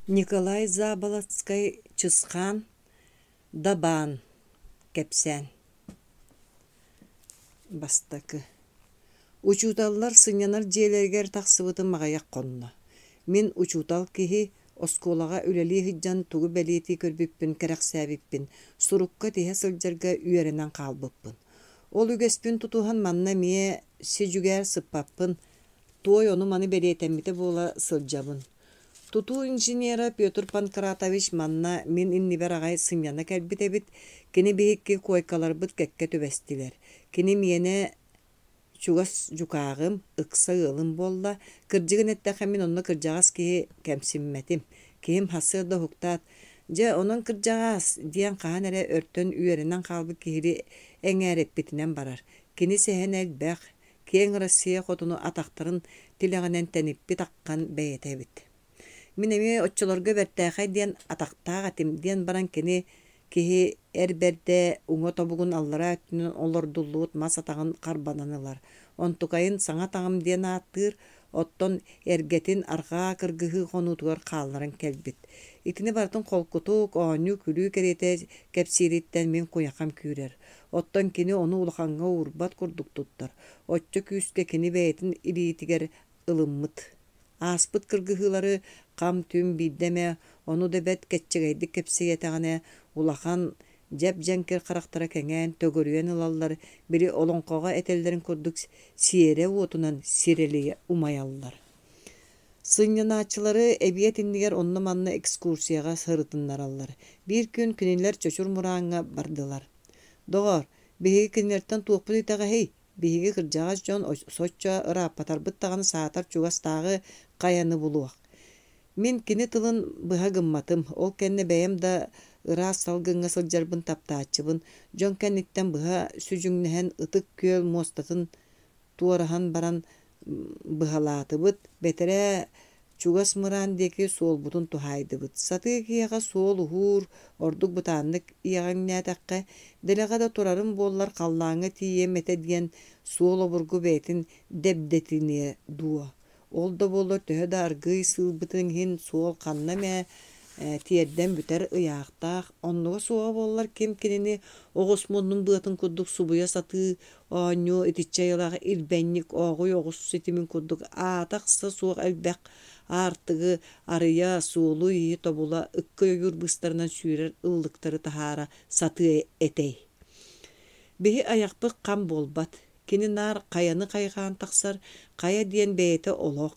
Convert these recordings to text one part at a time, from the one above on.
Николай Заболоцкай Чысхаан Дабаан кэпсээн Бастакы Учууталлар сынньанар дьиэлэригэр тахсыбытым аҕыйах хонно. Мин учуутал киһи, оскуолаҕа үлэлии сылдьан тугу бэлиэтии көрбүппүн кэрэхсээбиппин сурукка тиһэ сылдьарга үөрэнэн хаалбыппын. Ол үгэспин тутуһан манна эмиэ си-дьүгээр сыппаппын, туой ону-маны бэлиэтэммитэ буола сылдьабын. Тутуу инженера Петр Панкратович манна мин иннибэр аҕай сынньана кэлбит эбит. Кини биһикки куойкаларбыт кэккэ түбэстилэр. Кини миэнэ чугас дьукааҕым, ыкса ыалым буолла. Кырдьыгын эттэххэ, мин онно кырдьаҕас киһи кэмсиммэтим. Киһим сарсыарда уһуктаат, «Дьэ, онон кырдьаҕаас» диэн хаһан эрэ өртөн үөрэнэн хаалбыт киһилии эҥээрэппитинэн барар. Кини сэһэнэ элбэх, киэҥ Россия хотуну атахтарын тилэҕинэн тэниппит аххан бэйэтэ эбит. Мин эмиэ оччолорго бэртээхэй диэн атахтаах этим диэн баран кини киһи эр бэрдэ уҥа тобугун аллараа өттүнэн олордуллубут мас атаҕын харбанан ылар. Онтукайын саҥа атаҕым диэн ааттыыр, оттон эргэтин арҕаа кыргыһыы хонуутугар хаалларан кэлбит. Итини барытын холкутук, оонньуу-күлүү кэриэтэ кэпсиириттэн мин куйахам күүрэр. Оттон кини ону улахаҥҥа уурбат курдук туттар. Оччо күүскэ кини бэйэтин илиитигэр ылыммыт. Ааспыт кыргыһыылары хам-түм биирдэ эмэ, ону да бэрт кэччэгэйдик кэпсиэтэҕинэ, улахан, дьэп-дьэҥкир харахтара кэҥээн, төгүрүйэн ылаллар, били олоҥхоҕо этэллэрин курдук сиэрэ уотунан сирэлийэ умайаллар. Сынньанааччылары эбиэт иннигэр онно-манна экскурсияҕа сырытыннараллар. Биир күн кинилэр Чочур Мурааҥҥа бардылар. Доҕоор, биһиги кинилэртэн туохпут итэҕэһий? Биһиги кырдьаҕас дьон соччо ырааппатарбыт даҕаны саатар чугастааҕы хайаны булуох. Мин кини тылын быһа гымматым. Ол кэннэ бэйэм да ыраас салгыҥҥа сылдьарбын таптааччыбын. Дьон кэнниттэн быһа сүдьүҥнэһэн Ытык Күөл муостатын туораһан баран быһалаатыбыт, бэтэрээ чугас мыраан диэки суолбутун туһаайдыбыт. Сатыы киһиэхэ суол уһуур, ордук бытааннык иэҕэҥнээтэххэ, дэлэҕэ да турарым буоллар халлааҥҥа тиийиэм этэ диэн суол обургу бэйэтин дэбдэтиниэ дуо? Ол да буоллар төһө да аргыый сыылбытын иһин суол ханна эмэ тиэрдэн бүтэр ыйаахтаах, оннуга суоҕа буоллар ким кинини оҕус муннун быатын курдук субуйа сатыы оонньуу итиччэ айылаах ирбэнньик ооҕуй оҕус ситимин курдук аата-ахса суох элбэх аартыгы арыйа, суолу-ииһи тобула, ыкка ойуур быыстарынан сүүрэр ыллыктары таһаара сатыа этэй. Биһи айахпыт хам буолбат. Кини наар хайаны хайҕаан тахсар, хайа диэн бэйэтэ олох.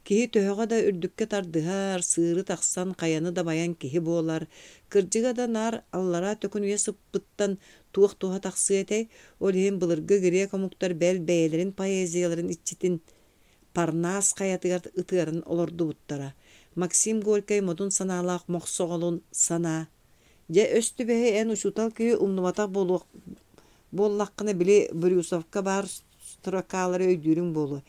Киһи төһөҕө да үрдүккэ тардыһар, сыыры тахсан хайаны дабайан киһи буолар. Кырдьыга да наар аллараа төкүнүйэ сыппыттан туох туһа тахсыа этэй? Ол иһин былыргы грек омуктар бэл бэйэлэрин поэзияларын иччитин Парнас хайатыгар ытыаран олордубуттара. Максим Горькай модун санаалаах мохсоҕолун санаа Дьэ, өс түбэһи эн учуутал киһи умнубатах буолуох буоллаххына, били Брюсовка баар строкалары өйдүүрүҥ буолуо.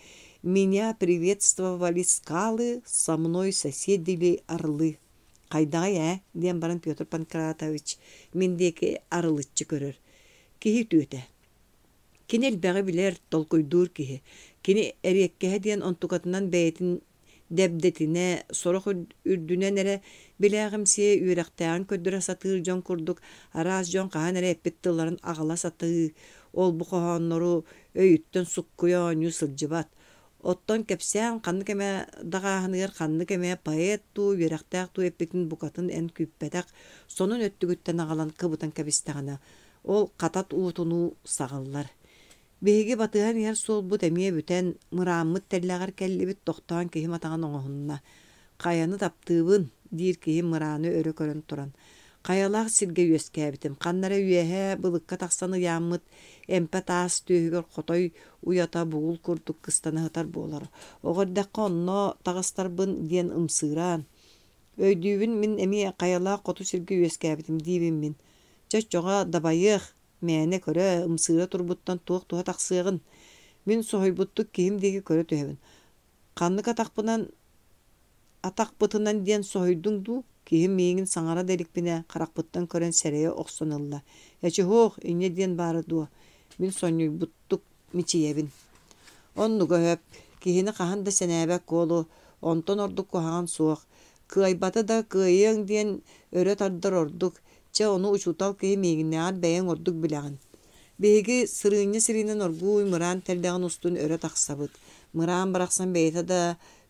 Меня приветствовали скалы, со мной соседили орлы. Хайдаҕый ээ? диэн баран Петр Панкратович мин диэки арылыччы көрөр. Киһи үтүөтэ. Кини элбэҕи билэр, толкуйдуур киһи. Кини эриэккэһэ диэн онтукатынан бэйэтин дэбдэтинэ, сорох үрдүнэн эрэ билээҕимсийэ үөрэхтээҕин көрдөрө сатыыр дьон курдук араас дьон хаһан эрэ эппит тылларын аҕала сатыы, ол-бу хоһооннору өйүттэн суккуйа оонньуу сылдьыбат. Оттон кэпсээн ханнык эмэ даҕааһыныгар ханнык эмэ поэт дуу, үөрэхтээх дуу эппитин букатын эн күүппэтэх сонун өттүгүттэн аҕалан кыбытан кэбистэҕинэ, ол хатат уутунуу саҕыллар. Биһиги батыһан иһэр суолбут эмиэ бүтэн, мырааммыт тэллэҕэр кэллибит, тохтоон киһим атаҕын оҥоһунна. «Хайаны таптыыбын» диир киһим мырааны өрө көрөн туран. Хайалаах сиргэ үөскээбитим. Ханна эрэ үөһэ былыкка тахсан ыйааммыт эмпэ таас түөһүгэр хотой уйата бугул курдук кыстана сытар буолар. Оҕо эрдэххэ онно таҕыстарбын диэн ымсыыраан. Өйдүүбүн мин эмиэ хайалаах хоту сиргэ үөскээбитим диибин мин. Чэ оччоҕо дабайыах, Мээнэ көрө, ымсыыра турбуттан туох туһа тахсыаҕын? Мин соһуйбуттук киһим диэки көрө түһэбин. Ханнык атахпынан атахпытынан диэн соһуйдуҥ дуу? Киһим миигин саҥара да иликпинэ, харахпыттан көрөн сэрэйэ охсон ылла. Эчи һуох, инньэ диэн баара дуо? Мин сонньуйбуттук мичийэбин. Оннуга сөп. Киһини хаһан да сэнээбэт куолу, онтон ордук куһаҕан суох. Кыайбаты да кыайыаҥ диэн өрө тардар ордук. Чэ, ону учуутал киһи миигиннээҕэр бэйэҥ ордук билэҕин. Биһиги сырыынньа сириинэн оргууй мыраан тэллэҕин устун өрө тахсабыт. Мыраан барахсан бэйэтэ да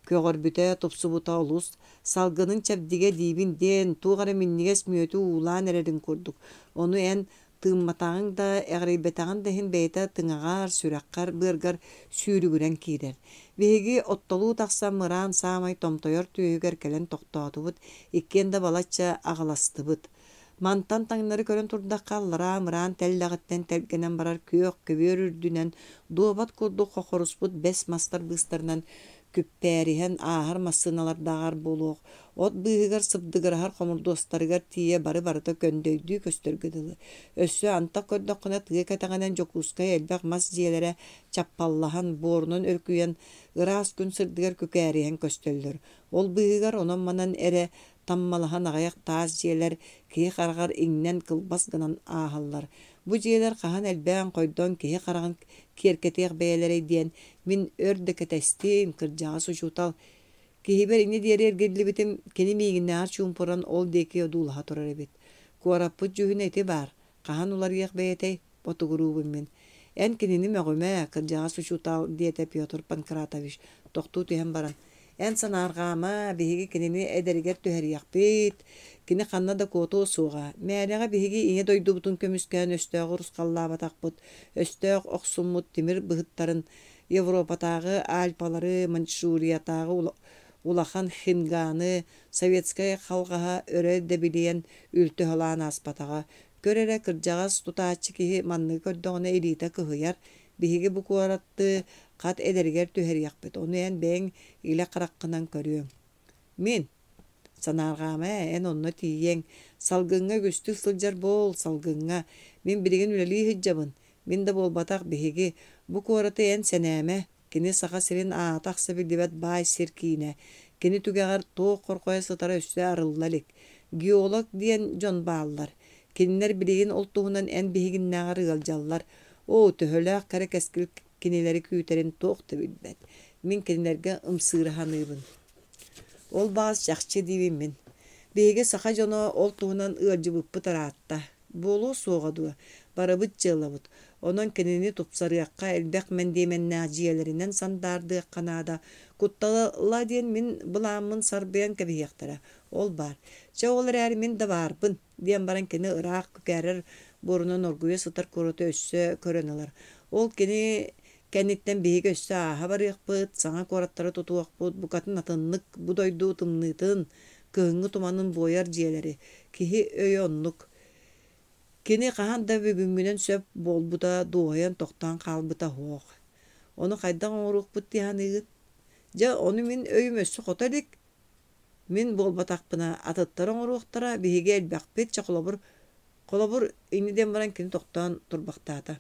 көҕөрбүтэ, тупсубута олус. Салгынын чэбдигэ диибин диэн, туох эрэ минньигэс мүөтү уулаан эрэрин курдук. Ону эн тыымматаҕыҥ да, эҕирийбэтэҕиҥ да иһин бэйэтэ тыҥаҕар, сүрэххэр, быаргар сүүрүгүрэн киирэр. Биһиги оттолуу тахсан мыраан саамай томтойор түөһүгэр кэлэн тохтоотубут, иккиэн да балачча аҕыластыбыт. Мантан таҥнары көрөн турдахха, аллараа мыраан тэллэҕиттэн тэлгэнэн барар күөх көбүөр үрдүнэн дуобат курдук хохоруспут бэс мастар быыстарынан күппээриһэн ааһар массыыналардааҕар буолуох, от быыһыгар сыбдыгыраһар хомурдуостарыгар тиийэ бары-барыта көндөйдүү көстөргө дылы. Өссө антах көрдөххүнэ тыа кэтэҕинэн Дьокуускай элбэх мас дьиэлэрэ чаппаллаһан, буорунан өрүкүйэн, ыраас күн сырдыгар күкээриһэн көстөллөр. Ол быыһыгар онон-манан эрэ таммалаһан аҕыйах таас дьиэлэр киһи хараҕар иҥнэн кылбас гынан ааһаллар. Бу дьиэлэр хаһан элбээн-хойдон киһи хараҕын киэркэтиэх бэйэлэрэй диэн мин өр да кэтэстим, кырдьаҕас учуутал киһибэр ини диэри эргиллибитим, кини миигиннээҕэр чуумпуран ол диэки одуулаһа турар эбит. Куораппыт дьүһүнэ ити баар, хаһан уларыйыах бэйэтэй, ботугуруубун мин. Эн кинини мөҕүмэ, кырдьаҕас учуутал, диэтэ Петр Панкратович, тохтуу түһэн баран. Эн санаарҕаама, биһиги кинини эдэригэр түһэриэхпит, кини ханна да куотуо суоҕа. Мээлэҕэ биһиги Ийэ дойдубутун көмүскээн өстөөҕү урусхаллаабатахпыт, өстөөх охсуммут тимир быһыттарын Европатааҕы Альпалары, Маньчжуриятааҕы улахан Хинганы, советскай халҕаһа өрө дэбилийэн үлтү халаан ааспатаҕа. Көр эрэ, кырдьаҕас тутааччы киһи манныгы көрдөҕүнэ илиитэ кыһыйар, биһиги бу куораты хат эдэригэр түһэриэхпит, ону эн бэйэҥ илэ хараххынан көрүөҥ. Мин санаарҕаама ээ, эн онно тиийиэҥ. Салгыҥҥа үгүстүк сылдьар буол, салгыҥҥа. Мин билигин үлэлии сылдьабын. Мин да буолбатах, биһиги. Бу куораты эн сэнээмэ. Кини Саха сирин аата-ахса биллибэт баай сир киинэ. Кини түгэҕэр туох хорҕойо сытара өссө арылла илик. Геолог диэн дьон бааллар. Кинилэр билигин ол туһунан эн биһигиннээҕэр ыалдьаллар. Оо, төһөлөөх кэрэ кэскил кинилэри күүтэрин туох да билбэт. Мин кинилэргэ ымсыыра саныыбын. Ол баҕас чахчы диибин мин. Биһиги саха дьоно ол туһунан ыалдьыбыппыт ыраатта. Буолуо суоҕа дуо, барыбыт дьыалабыт. Онон кинини тупсарыахха, элбэх мэндиэмэннээх дьиэлэринэн сандаардыахха наада. Куттала диэн мин былааммын сарбыйан кэбиһиэхтэрэ. Ол баар. Чэ, ол эрээри мин да баарбын, диэн баран кини ыраах күкээрэр буорунан оргуйа сытар куораты өссө көрөн ылар. Ол кини кэнниттэн биһиги өссө ааһа барыахпыт, саҥа куораттары тутуохпут, букатын атыннык бу дойду тымныытын, кыһыҥҥы туманын буойар дьиэлэри. Киһи өйө оннук. Кини хаһан да бүгүҥҥүнэн сөп буолбута, дуоһуйан тохтоон хаалбыта суох. Ону хайдах оҥоруохпут дии саныыгын? Дьэ, ону мин өйүм өссө хото илик. Мин буолбатахпына, атыттар оҥоруохтара, биһиги элбэхпит, чэ холобур, холобур, инньэ диэн баран кини тохтоон турбахтаата.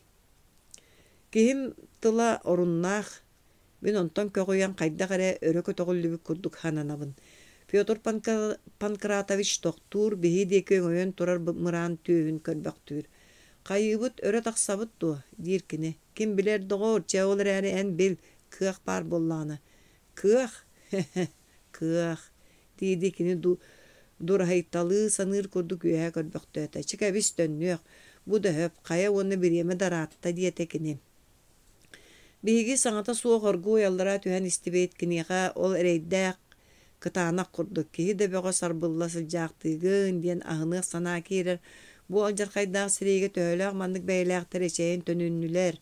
Киһим тыла оруннаах, мин онтон көҕүйэн хайдах эрэ өрө көтөҕүллүбүт курдук сананабын. Петр Панкратович тохтуур, биһи диэки өҥөйөн турар мыраан түөһүн көрбөхтүүр. «Хайыыбыт, өрө тахсабыт дуо?» диир кини. «Ким билэр, доҕоор, чэ ол эрээри эн бил, кыах баар буоллаҕына». «Кыах? Хе-хе, кыах!» дии-дии кини дураһыйталыы саныыр курдук үөһэ көрбөхтөөтө. «Чэ кэбис, төннүөх, бу да өһөп, хайа уонна бириэмэ да ыраатта» диэтэ кини. Биһиги саҥата суох оргууй аллара түһэн истибит, киниэхэ ол эрэйдээх кытаанах курдук киһи да бөҕө сарбылла сылдьаахтыыгын диэн аһыныах санаа киирэр. Бу алдьархайдаах сэриигэ төһөлөөх маннык бэйэлээхтэр эчэйэн төнүннүлэр,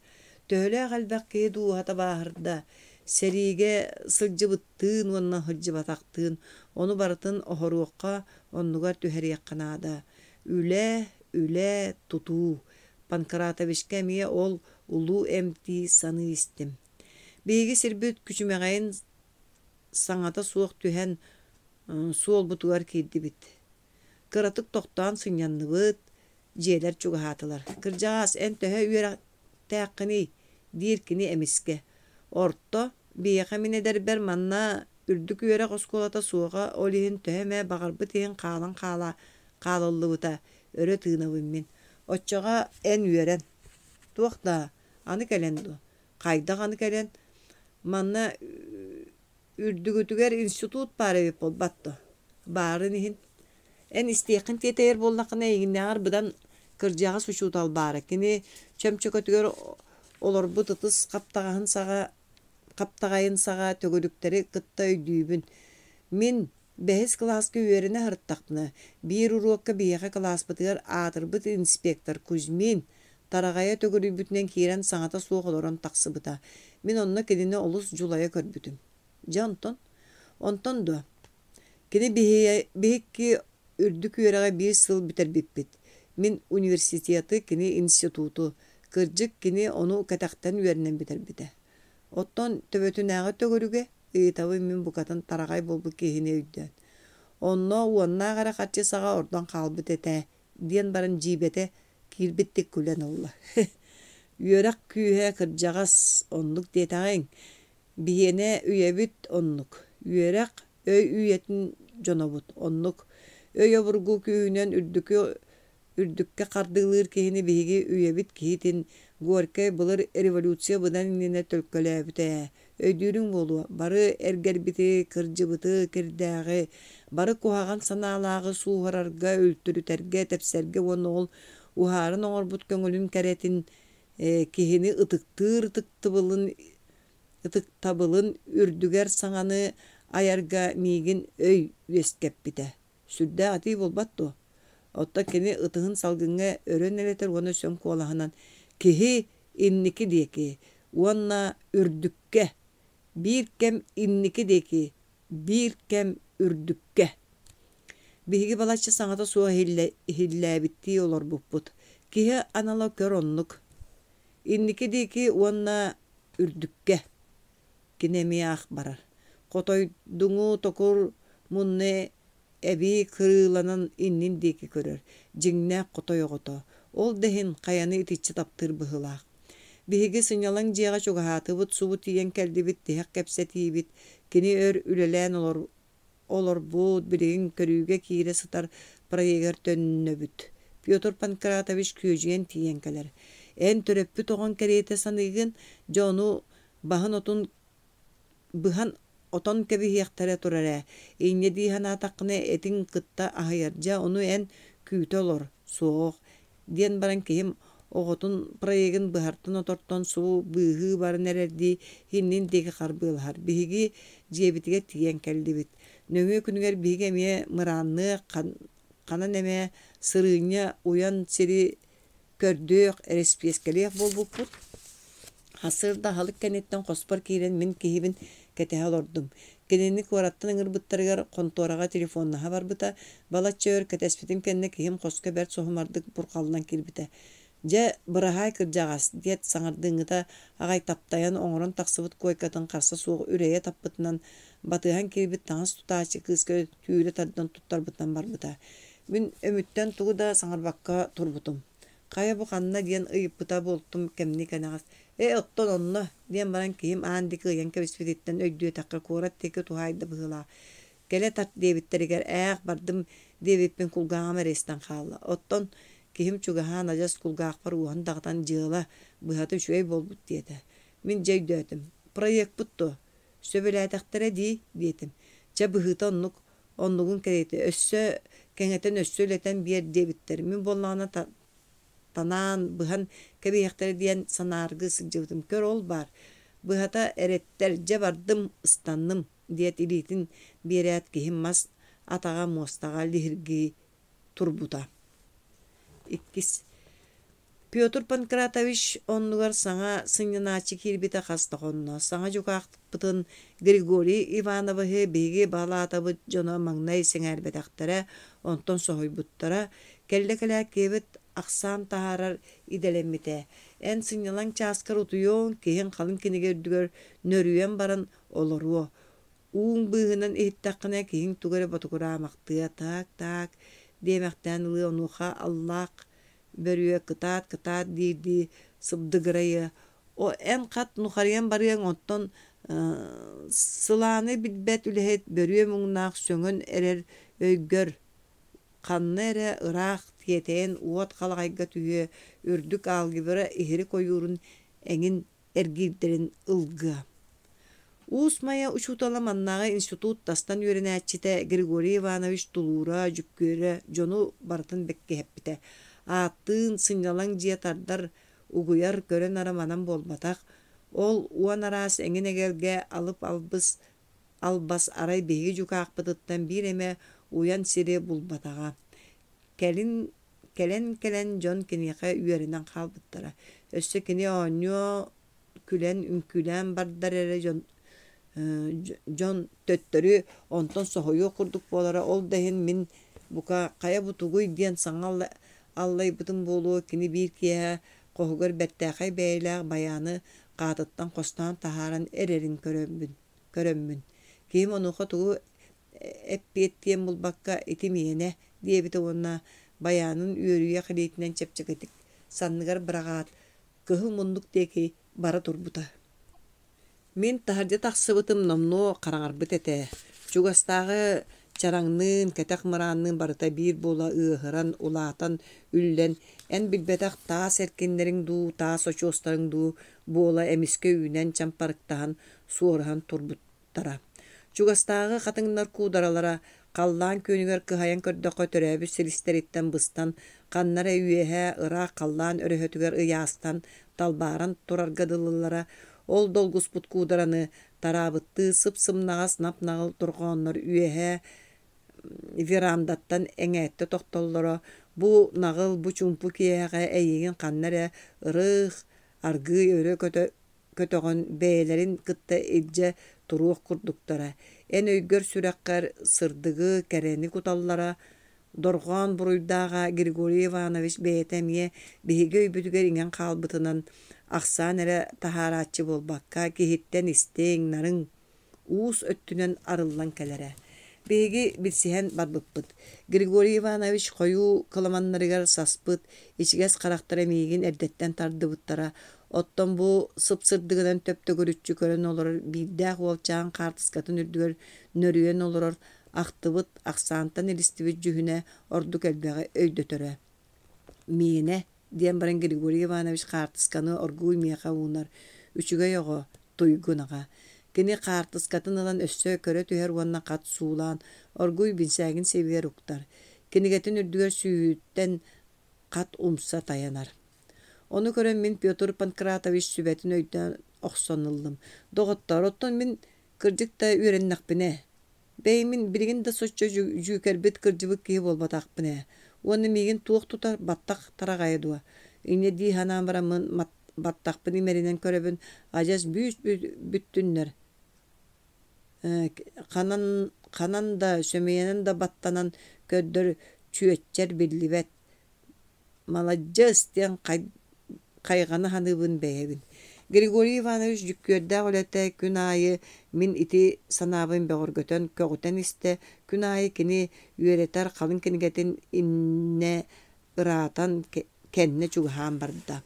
төһөлөөх элбэх киһи дууһата бааһырда, сэриигэ сылдьыбыттыын уонна сылдьыбатахтыын, ону барытын оһоруохха, оннугар түһэриэххэ наада. Үлэ, үлэ, тутуу. Панкратовичка эмиэ ол улуу эмтии саныы истим. Биһиги сирбит күчүмэҕэйин саҥата суох түһэн суолбутугар киирдибит. Кыратык тохтоон сынньанныбыт, дьиэлэр чугаһаатылар. «Кырдьаҕаас, эн төһө үөрэхтээххиний?» диир кини эмискэ. «Орто, биһиэхэ мин эдэрбэр манна үрдүк үөрэх оскуолата суоҕа, ол иһин төһө эмэ баҕарбыт иһин хаалан хаала хаалыллыбыта, өрө тыынабын мин. Оччоҕо эн үөрэн. Туох даа, аны кэлэн дуо? Хайдах аны кэлэн? Манна үрдүгүтүгэр институт баар эбит буолбат дуо? Баарын иһин. Эн истиэххин тиэтэйэр буоллаххына, эйигиннээҕэр быдан кырдьаҕас учуутал баара. Кини чөмчөкөтүгэр олорбут ытыс хаптаҕаһын саҕа хаптаҕайын саҕа төгүрүктэри кытта өйдүүбүн. Мин бэһис кылааска үөрэнэ сырыттахпына, биир уруокка биһиэхэ кылааспытыгар аатырбыт инспектор Кузьмин тараҕайа төгүрүйбүтүнэн киирэн саҥата суох олорон тахсыбыта. Мин онно кинини олус дьулайа көрбүтүм. Дьэ онтон? Онтон дуо? Кини биһикки үрдүк үөрэҕи биир сыл бүтэрбиппит. Мин университеты, кини институту. Кырдьык, кини ону кэтэхтэн үөрэнэн бүтэрбитэ. Оттон төбөтүнээҕи төгүрүгэ, ыйытабын мин букатын тараҕай буолбут киһини өйдөөн. Онно уоннаах эрэ харчы саҕа ордон хаалбыт этэ, диэн баран дьиибэтэ киирбиттик күлэн ылла. Үөрэх күүһэ кырдьаҕас, оннук диэтэҕиҥ. Биһиэнэ үйэбит оннук. Үөрэх, өй үйэтин дьонобут, оннук. Өй обургу күүһүнэн үрдүкү үрдүккэ хардыылыыр киһини биһиги үйэбит киһитин Горькай былыр революция быдан иннинэ төлкөлөөбүтэ ээ. Өйдүүрүҥ буолуо, бары эргэрбити, кырдьыбыты, кирдээҕи, бары куһаҕан санаалааҕы сууһарарга, үлтүрүтэргэ, тэпсэргэ уонна ол уһааран оҥорбут көҥүлүн кэрэтин, киһини ытыктыыр ытыктыбылын ытыктабылын үрдүгэр саҥаны айарга миигин өй үөскэппитэ. Сүрдээх этии буолбат дуо? Оттон кини ытыһын салгыҥҥа өрө нэлэтэр уонна сөҥ куолаһынан «Киһи инники диэки уонна үрдүккэ, биир кэм инники диэки, биир кэм үрдүккэ». Биһиги балачча саҥата суох иһиллээбиттии олорбуппут. Киһи анала көр оннук. Инники диэки уонна үрдүккэ. Кини эмиэ ах барар. Хотойдуҥу токур мунна эбии кырыыланан иннин диэки көрөр, дьиҥнээх хотой оҕото. Ол да иһин хайаны итиччэ таптыыр быһыылаах. Биһиги сынньалаҥ дьиэҕэ чугаһаатыбыт, субу тиийэн кэллибит, тиһэх кэпсэтиибит. Кини өр үлэлээн олорбут, билигин көрүүгэ киирэ сытар проегар төннөбүт. Петр Панкратович күөдьүйэн тиийэн кэлэр. Эн төрөппүт оҕоҥ кэриэтэ саныыгын, дьэ ону баһын отун быһан отон кэбиһиэхтэрэ турар ээ, инньэ дии санаатаххына этиҥ кытта аһыйар, дьэ ону эн күүтэ олор, суох, диэн баран киһим оҕотун проегын быһартан-отортон субу быыһыы баран эрэрдии иннин диэки харбыалаһар. Биһиги дьиэбитигэр тиийэн кэллибит. Нөҥүө күнүгэр биһиги эмиэ мыраанныах, ханан эмэ сырыынньа уйан сири көрдүөх, эрэспиэскэлиэх буолбуппут. Сарсыарда аһылык кэнниттэн хоспор киирэн мин киһибин кэтэһэ олордум. Кинини куораттан ыҥырбыттарыгар хонтуораҕа телефоннаһа барбыта. Балачча өр кэтэспитим кэннэ киһим хоско бэрт соһумардык бурҕаллан киирбитэ. «Дьэ, быраһаай кырдьаҕас» диэт саҥардыыҥҥыта аҕай таптайан оҥорон тахсыбыт куойкатын харса суох үрэйэ таппытынан батыһан киирбит таҥас тутааччы кыыска түүрэ тардан туттарбытынан барбыта. Мин өмүттэн тугу да саҥарбакка турбутум. Хайа бу ханна диэн ыйыппыта буолтум кэмни-кэнэҕэс. Ээ, оттон онно, диэн баран киһим аан диэки ыйан кэбиспититтэн өйдүөтэххэ куорат диэки туһаайда быһыылаах. Кэлэ тарт диэбиттэригэр ээх, бардым диэбиппин кулгааҕым эрэ истэн хаалла. Оттон киһим чугаһаан адьас кулгаахпар уоһун даҕатан дьыала быһата үчүгэй буолбут диэтэ. Мин дьэ өйдөөтүм. Проекпыт дуо? Сөбүлээтэхтэрэ дии, диэтим. Чэ, быһыыта оннук Оннугун кэриэтэ өссө кэҥэтэн өссө үлэтэн биэр диэбиттэр. Мин буоллаҕына танаан, быһан кэбиһиэхтэрэ диэн санааргыы сылдьыбытым. Көр ол баар, быһата эрэттэр, дьэ бардым, ыстанным, диэт илиитин биэрээт киһим мас атаҕа муостаҕа лиһиргии турбута. Иккис Петр Панкратович оннугар саҥа сынньанааччы киирбитэ хас да хонно. Саҥа дьукаахпытын Григорий Ивановиһы биһиги балаатабыт дьоно маҥнай сэҥээрбэтэхтэрэ, онтон соһуйбуттара. Кэллэ-кэлээт киһибит ахсаан таһаарар идэлэммитэ. Эн сынньалаҥ чааскар утуйуоҥ, киһиҥ халыҥ кинигэ үрдүгэр нөрүйэн баран олоруо. Ууҥ быыһынан иһиттэххинэ, киһиҥ тугу эрэ ботугураамахтыа, таак-таак диэмэхтээн ылыа, онуоха аллаах бөрүө кытаат-кытаат диирдии сыбдыгырайыа. О, эн хат нухарыйан барыаҥ, оттон сылааны билбэт үлэһит бөрүө муҥнаах сөҥөн эрэр өйгөр ханна эрэ ыраах тиэтэйэн уот халаҕайга түһүө, үрдүк алгебра иһирик ойуурун эҥин эргиирдэрин ылгыа. Уус Майа учуутала маннааҕы институт тастан үөрэнээччитэ Григорий Иванович тулуура, дьүккүөрэ дьону барытын бэккиһэппитэ. Ааттыын сынньалаҥ дьиэ тардар, угуйар көрө-нара манан буолбатах. Ол уон араас эҥин-эгэлгэ алып албыс албас арай биһиги дьукаахпытыттан биир эмэ уйан сири булбатаҕа. Кэлин кэлэн-кэлэн дьон киниэхэ үөрэнэн хаалбыттара. Өссө кини оонньуо күлэн үҥкүүлээн бардар эрэ дьон дьон төттөрү онтон соһуйуох курдук буолара. Ол да иһин мин бука хайа бу тугуй диэн саҥа аллайбытым буолуо кини биир киэһэ хоһугар бэртээхэй бэйэлээх байааны хаатыттан хостоон таһааран эрэрин көрөммүн көрөммүн киһим онуоха тугу эппиэттиэн булбакка ити миэнэ диэбитэ уонна байаанын үөрүйэх илиитинэн чэпчэкитик санныгар быраҕаат кыһыл муннук диэки бара турбута. Мин таһырдьа тахсыбытым номнуо хараҥарбыт этэ. Чугастааҕы чараҥныын, кэтэх мыраанныын барыта биир буола ыаһыран, улаатан, үллэн, эн билбэтэх таас эркиннэриҥ дуу, таас очуостарыҥ дуу буола эмискэ үүнэн чампарыктаһан, суоруһан турбуттара. Чугастааҕы хатыҥнар куударалара халлаан күөнүгэр кыһайан көрдөххө төрөөбүт силистэриттэн быстан, ханна эрэ үөһэ ыраах халлаан өрөһөтүгэр ыйаастан, талбааран турарга дылылара. Ол долгуспут куудараны тараабыттыы сып-сымнаҕас нап-наҕыл дорҕооннор үөһэ верандаттан эҥээттэ тохтоллоро. Бу наҕыл, бу чуумпу киэһэҕэ эйигин ханна эрэ ырых, аргыый өрө көтө көтөҕөн бэйэлэрин кытта илдьэ туруох курдуктара. Эн өйгөр-сүрэххэр сырдыгы, кэрэни куталлара. Дорҕоон буруйдааҕа Григорий Иванович бэйэтэ эмиэ биһиги өйбүтүгэр иҥэн хаалбытынан, ахсаан эрэ таһаарааччы буолбакка, киһиттэн истиҥ, нарыҥ, уус өттүнэн арыллан кэлэрэ. Биһиги билсиһэн барбыппыт. Григорий Иванович хойуу кыламаннарыгар саспыт ичигэс харахтара миигин эрдэттэн тардыбыттара. Оттон бу сып-сырдыгынан төп-төгүрүччү көрөн олорор биирдээх уолчаан хаартыскатын үрдүгэр нөрүйэн олорор ахтыбыт, ахсаантан илистибит дьүһүнэ ордук элбэҕи өйдөтөрө. Миэнэ, диэн баран Григорий Иванович хаартысканы оргууй миэхэ уунар. Үчүгэй оҕо, туйгун аҕа. Кини хаартыскатын ылан өссө көрө түһэр уонна хат суулаан, оргууй бинсээгин сиэбигэр уктар. Кинигэтин үрдүгэр сүүһүттэн хат умса тайанар. Ону көрөн мин Петр Панкратович сүбэтин өйдөөн охсон ыллым. Доҕоттоор, оттон мин кырдьык да үөрэннэхпинэ, Бэйэмин билигин да соччо дьүүкэрбит кырдьыбыт киһи буолбатахпын ээ. Уонна миигин туох тутар, баттах тараҕайа дуо? Инньэ дии санаан бараммын баттахпын имэринэн көрөбүн, адьас бүүс бүттүннэр ханан ханан да сөмүйэнэн да баттанан көрдөр чүөччэр биллибэт. Маладьыас диэн хайҕана саныыбын бэйэбин. Григорий Иванович дьүккүөрдээх үлэтэ күн аайы мин ити санаабын бөҕөргөтөн, көҕүтэн истэ, күн аайы кини үөрэтэр халыҥ кинигэтин иннэ ыраатан, кэннэ чугаһаан барда.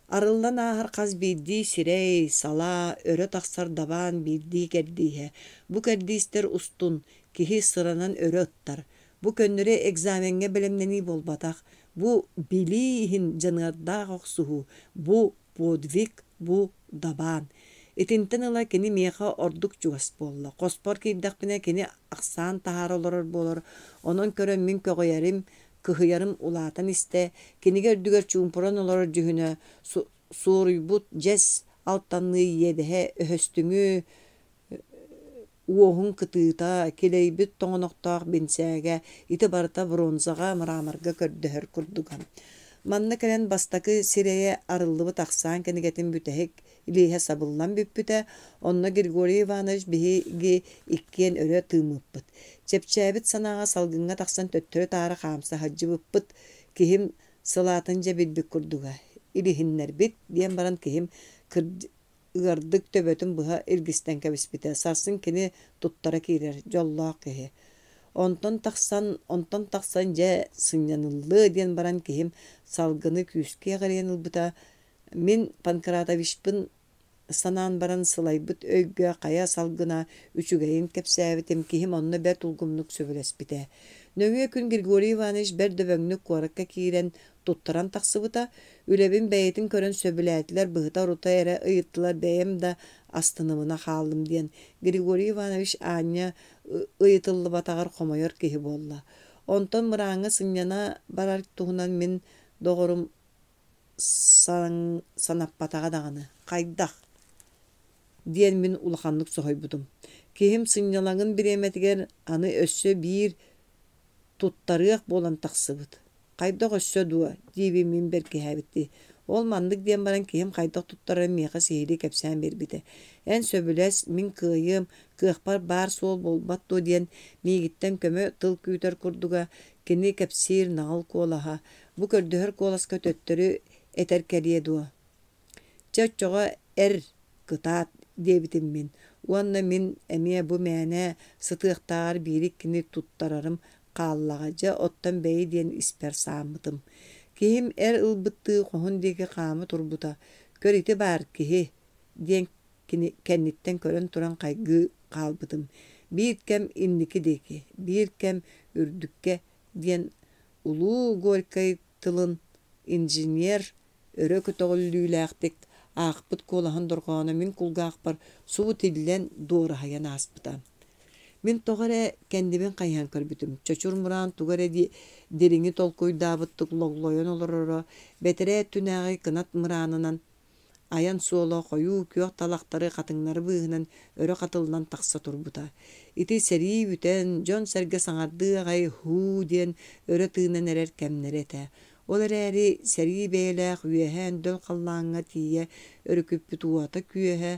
Арыллан ааһар хас биирдии сирэй, салаа, өрө тахсар дабаан биирдии кэрдииһэ. Бу кэрдиистэр устун киһи сыранан өрө ыттар. Бу көннөрү экзамеҥҥа бэлэмнэнии буолбатах, бу билии иһин дьаныардаах охсуһуу, бу подвиг, бу дабаан. Итинтэн ыла кини миэхэ ордук чугас буолла. Хоспор киирдэхпинэ кини ахсаан таһаара олорор буолар, онон көрөн мин көҕүйэрим, кыһыйарым улаатан истэ, кинигэ үрдүгэр чуумпуран олорор дьүһүнэ суоруйбут дьэс алтанныы иэдэһэ өһөстүҥү уоһун кытыыта, килэйбит тоҥонохтоох бинсээгэ ити барыта бронзаҕа, мраморга көрдөһөр курдуга. Манна кэлэн бастакы сирэйэ арыллыбыт ахсаан кинигэтин бүтэһик илииһэ сабыллан бүппүтэ, онно Григорий Иванович биһиги иккиэн өрө тыыммыппыт. Чэпчээбит санааҕа салгыҥҥа тахсан төттөрү-таары хаамса сылдьыбыппыт. Киһим сылаатын дьэ билбит курдуга. Илиһиннэрбит, диэн баран киһим ыардык төбөтүн быһа илгистэн кэбиспитэ. Сарсын кини туттара киирэр, дьоллоох киһи. Онтон тахсан, онтон тахсан дьэ сынньаныллыа диэн баран киһим салгыны күүскэ эҕирийэн ылбыта. Мин Панкратовичпын санаан баран сылайбыт өйгө хайа салгына үчүгэйин кэпсээбитим, киһим онно бэрт улгумнук сөбүлэспитэ. Нөҥүө күн Григорий Иванович бэрт дөбөҥнүк куоракка киирэн, туттаран тахсыбыта. Үлэбин бэйэтин көрөн сөбүлээтилэр, быһыта-орута эрэ ыйыттылар бэйэм да астынымына хааллым диэн Григорий Иванович аанньа ыйытыллыбатаҕар хомойор киһи буолла. Онтон мырааҥҥа сынньана барар туһунан мин доҕорум санаппатаҕа даҕаны. Хайдах? диэн мин улаханнык соһуйбутум. Киһим сынньалаҥын бириэмэтигэр аны өссө биир туттарыах буолан тахсыбыт. Хайдах өссө дуо? диибин мин бэркиһээбиттии. Ол маннык диэн баран киһим хайдах туттарарын миэхэ сиһилии кэпсээн биэрбитэ. Эн сөбүлэс, мин кыайыам, кыахпар баар суол буолбат дуо диэн миигиттэн көмө тыл күүтэр курдуга, кини кэпсиир наҕыл куолаһа, бу көрдөһөр куоласка төттөрү этэр кэлиэ дуо? Чэ оччоҕо эр, кытаат, диэбитим мин уонна мин эмиэ бу мээнэ сытыахтааҕар биири-иккини туттарарым хааллаҕа дьэ оттон бэйи диэн испэр сааммытым. Киһим эр ылбыттыы хоһун диэки хаама турбута, көр ити баар киһи диэн кини кэнниттэн көрөн туран хайгыы хаалбытым. Биир кэм инники диэки, биир кэм үрдүккэ диэн улуу Горькай тылын инженер өрө көтөҕүллүүлээхтик аахпыт куолаһын дорҕооно мин кулгаахпар субу тиллэн, дуораһыйан ааспыта. Мин тоҕо эрэ кэннибин хайыһан көрбүтүм, чочур мураан тугу эрэ дириҥи толкуйдаабыттык логлойон олороро, бэтэрээ өттүнээҕи кынат мыраанынан Айан суола хойуу күөх талахтары, хатыҥнары быыһынан өрө хатыллан тахса турбута. Ити сэрии бүтэн, дьон-сэргэ саҥардыы аҕай һуу диэн өрө тыынан эрэр кэмнэрэ этэ. Ол эрээри сэрии бэйэлээх үөһэ өндөл халлааҥҥа тиийэ өрүкүппүт уота-күөһэ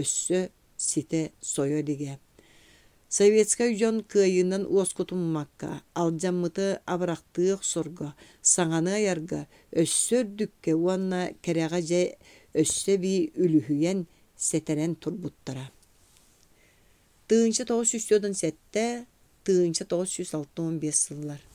өссө ситэ сойо илигэ. Советскай дьон кыайыынан уоскутуммакка, алдьаммыты абырахтыы охсорго, саҥаны айарга, өссө үрдүккэ уонна кэрэҕэ дьэ өссө эбии үлүһүйэн, сэтэрэн турбуттара. 1947, 1965 сыллар.